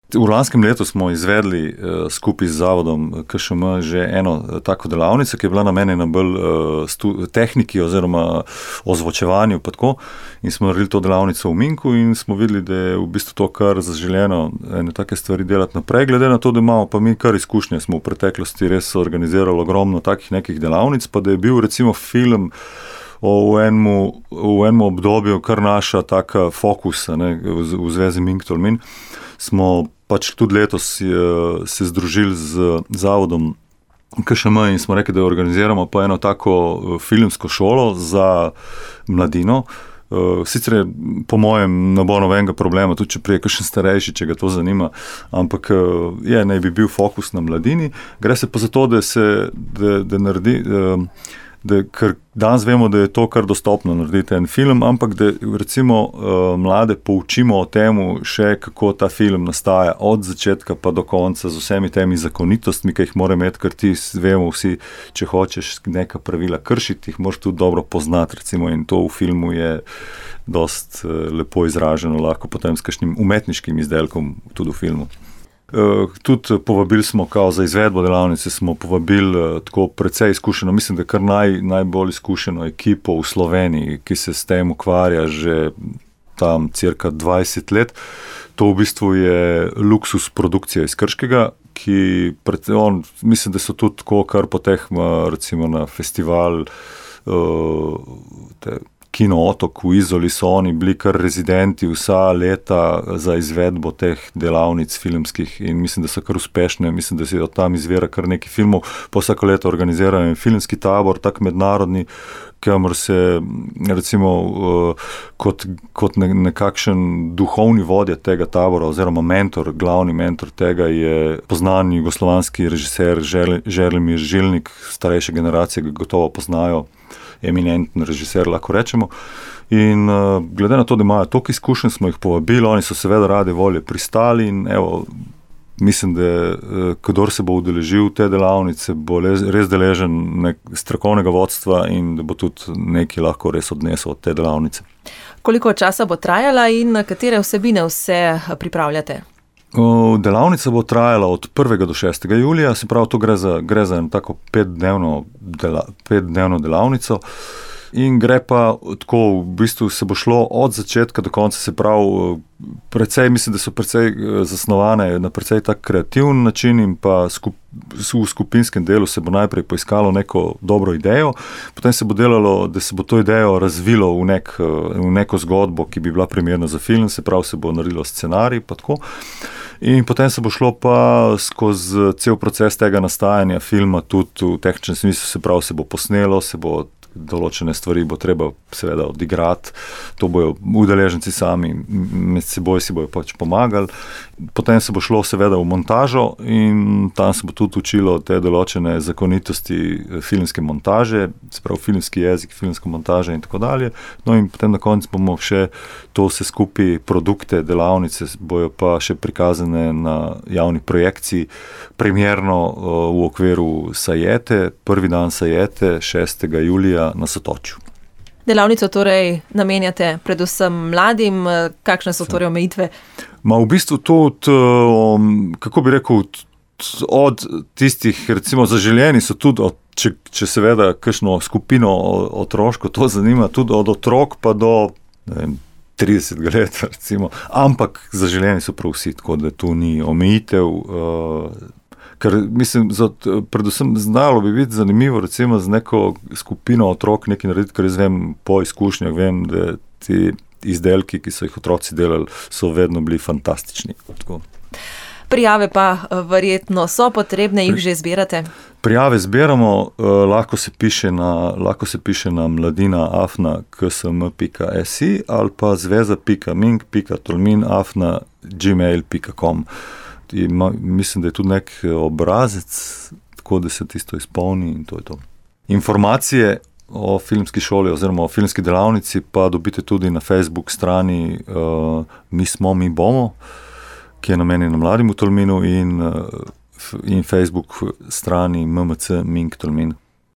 V lanskem letu smo izvedli skupaj z zavodom KŠM že eno tako delavnico, ki je bila namenjena bolj tehniki oziroma ozvočevanju pa tako. In smo naredili to delavnico v Minku in smo videli, da je v bistvu to kar zaželeno ene take stvari delati naprej. Glede na to, da imamo pa mi kar izkušnje, smo v preteklosti res organizirali ogromno takih nekih delavnic, pa da je bil recimo film v enem obdobju kar naša taka fokusa, ne, v zvezi Mink Tolmin, smo pač tudi letos se združili z zavodom KŠM in smo rekli, da organiziramo pa eno tako filmsko šolo za mladino. Sicer je po mojem ne bo nobenega problema, tudi če prije kakšen starejši, če ga to zanima, ampak naj bi bil fokus na mladini. Gre se pa za to, da naredi, ker danes vemo, da je to kar dostopno narediti en film, ampak da recimo mlade poučimo o temu še, kako ta film nastaja od začetka pa do konca z vsemi temi zakonitostmi, ki jih mora imeti, ker ti vemo vsi, če hočeš neka pravila kršiti, jih moraš tudi dobro poznati, recimo, in to v filmu je dost lepo izraženo, lahko potem s kakšnim umetniškim izdelkom tudi v filmu. Tudi povabili smo, kao za izvedbo delavnice, smo povabili tako precej izkušeno, mislim, da kar najbolj izkušeno ekipo v Sloveniji, ki se s tem ukvarja že tam cirka 20 let. To v bistvu je Luxus produkcija iz Krškega, ki mislim, da so tudi tako kar potehma recimo na festival Kino Otok v Izoli, so oni bili kar rezidenti vsa leta za izvedbo teh delavnic filmskih in mislim, da so kar uspešne, mislim, da se od tam izvira kar nekaj filmov, pa vsako leto organizirajo filmski tabor, tak mednarodni, kamor se recimo kot nekakšen duhovni vodja tega tabora oziroma mentor, glavni mentor tega je poznan jugoslovanski režiser Želimir Žilnik, starejše generacije ga gotovo poznajo, eminenten režiser, lahko rečemo. In glede na to, da imajo toliko izkušenj, smo jih povabili, oni so seveda rade volje pristali in evo, mislim, da kdor se bo udeležil te delavnice, bo res deležen strokovnega vodstva in da bo tudi nekaj lahko res odnesel od te delavnice. Koliko časa bo trajala in katere vsebine vse pripravljate? Delavnica bo trajala od 1. do 6. julija, se pravi, to gre za eno tako 5-dnevno delavnico in gre pa tako, v bistvu se bo šlo od začetka do konca, se pravi, precej, mislim, da so precej zasnovane na precej tak kreativen način in pa v skupinskem delu se bo najprej poiskalo neko dobro idejo, potem se bo delalo, da se bo to idejo razvilo v neko zgodbo, ki bi bila primerna za film, se pravi, se bo naredilo scenarij pa tako. In potem se bo šlo pa skozi cel proces tega nastajanja filma tudi v tehničnem smislu, se pravi, se bo posnelo, se bo določene stvari bo treba seveda odigrati, to bojo udeleženci sami, med seboj si bojo pač pomagali. Potem se bo šlo seveda v montažo in tam se bo tudi učilo te določene zakonitosti filmske montaže, se pravi filmski jezik, filmska montaža in tako dalje. No in potem na koncu bomo še to vse skupaj produkte, delavnice bojo pa še prikazane na javni projekciji, premierno v okviru Sajete, prvi dan Sajete, 6. julija na Sotočju. Delavnico torej namenjate predvsem mladim, kakšne so torej omejitve? V bistvu tudi, kako bi rekel, od tistih, recimo zaželjeni so tudi, če seveda kakšno skupino otroško to zanima, tudi od otrok pa do 30 let, recimo, ampak zaželjeni so prav vsi, tako da tu ni omejitev, ker mislim, predvsem znalo bi biti zanimivo recimo z neko skupino otrok nekaj narediti, ker jaz vem po izkušnjah, vem, da ti izdelki, ki so jih otroci delali, so vedno bili fantastični. Tako. Prijave pa verjetno so potrebne, jih že zbirate? Prijave zbiramo, lahko se piše na mladina@ksm.si ali pa zveza.mink.tolmin@gmail.com. Mislim, da je tudi nek obrazec, tako da se tisto izpolni in to je to. Informacije o filmski šoli oziroma o filmski delavnici pa dobite tudi na Facebook strani Mi smo, mi bomo, ki je namenjena mladim v Tolminu in Facebook strani MMC Mink Tolmin.